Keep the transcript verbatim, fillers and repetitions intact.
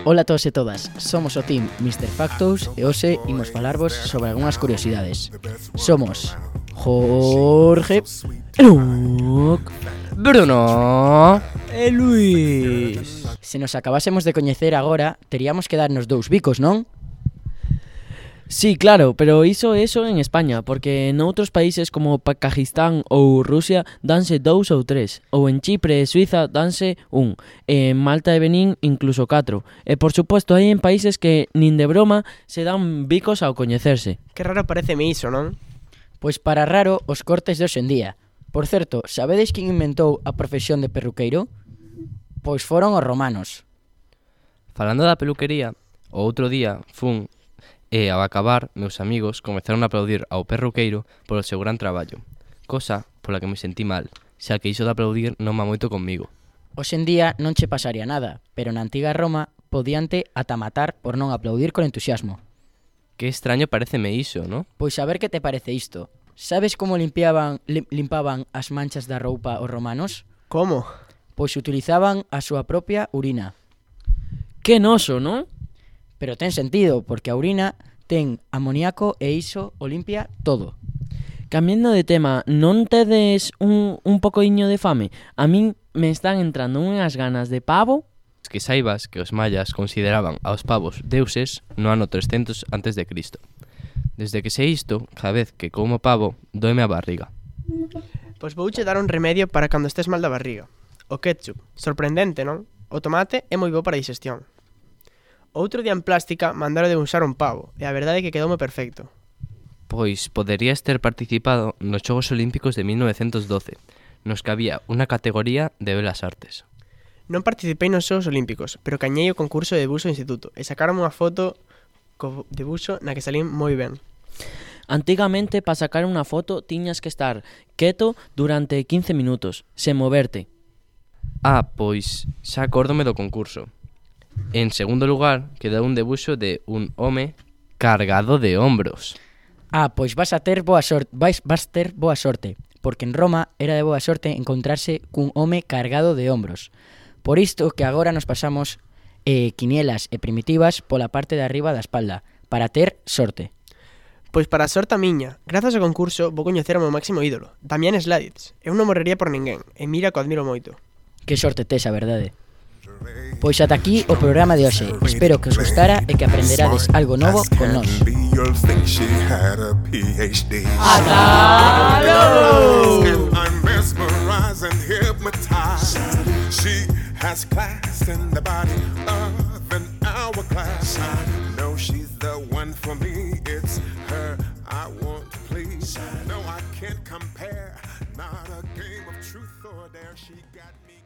Ola a todos e todas, somos o team mister Factos e hoxe imos falarvos sobre algunhas curiosidades. Somos Jorge, Luc, Bruno e Luis. Se nos acabásemos de coñecer agora, teríamos que darnos dous bicos, non? Sí, claro, pero iso é eso en España, porque noutros países como Pakistán ou Rusia danse dous ou tres, ou en Chipre e Suiza danse un, e en Malta e Benín incluso catro. E por suposto hai en países que nin de broma se dan bicos ao coñecerse. Que raro pareceme iso, non? Pois para raro os cortes de hoxe en día. Por certo, sabedes quen inventou a profesión de perruqueiro? Pois foron os romanos. Falando da peluquería, o outro día fun e, ao acabar, meus amigos comezaron a aplaudir ao perruqueiro polo seu gran traballo, cosa pola que me sentí mal, xa que iso de aplaudir non va moito comigo. Hoxe en día non che pasaría nada, pero na antiga Roma podíante ata matar por non aplaudir con entusiasmo. Que extraño pareceme iso, non? Pois a ver que te parece isto. Sabes como limpiaban, lim, limpaban as manchas da roupa os romanos? Como? Pois utilizaban a súa propia urina. Que noso, non? Pero ten sentido, porque a urina ten amoníaco e iso o limpia todo. Cambiando de tema, non tedes un, un pocoiño de fame? A min me están entrando unhas ganas de pavo. Que saibas que os mayas consideraban aos pavos deuses no ano trescentos antes de Cristo. Desde que sei isto, cada vez que como pavo, doeme a barriga. Pois vouche dar un remedio para cando estés mal da barriga. O ketchup. Sorprendente, non? O tomate é moi bo para a digestión. Outro día en plástica mandaron de usar un pavo, e a verdade é que quedoume perfecto. Pois poderías ter participado nos Xogos Olímpicos de mil novecientos doce, nos que había unha categoría de belas artes. Non participei nos Xogos Olímpicos, pero cañei o concurso de debuxo do instituto, e sacaron unha foto co debuxo na que salín moi ben. Antigamente, para sacar unha foto, tiñas que estar quieto durante quince minutos, sen moverte. Ah, pois xa acórdome do concurso. En segundo lugar, quedou un debuxo de un home cargado de hombros. Ah, pois vas a ter boa sorte, vais, vas ter boa sorte, porque en Roma era de boa sorte encontrarse cun home cargado de hombros. Por isto que agora nos pasamos eh, quinielas e primitivas pola parte de arriba da espalda, para ter sorte. Pois para a sorte a miña, grazas ao concurso vou coñecer o meu máximo ídolo, Damián Sladitz. Eu non morrería por ninguén, e mira que o admiro moito. Que sorte tes, a verdade. Pois ata aquí o programa de hoxe. Espero que os gustara e que aprenderades algo novo con nós. Ata logo! No, I can't compare. Not a game of truth or dare. She got me.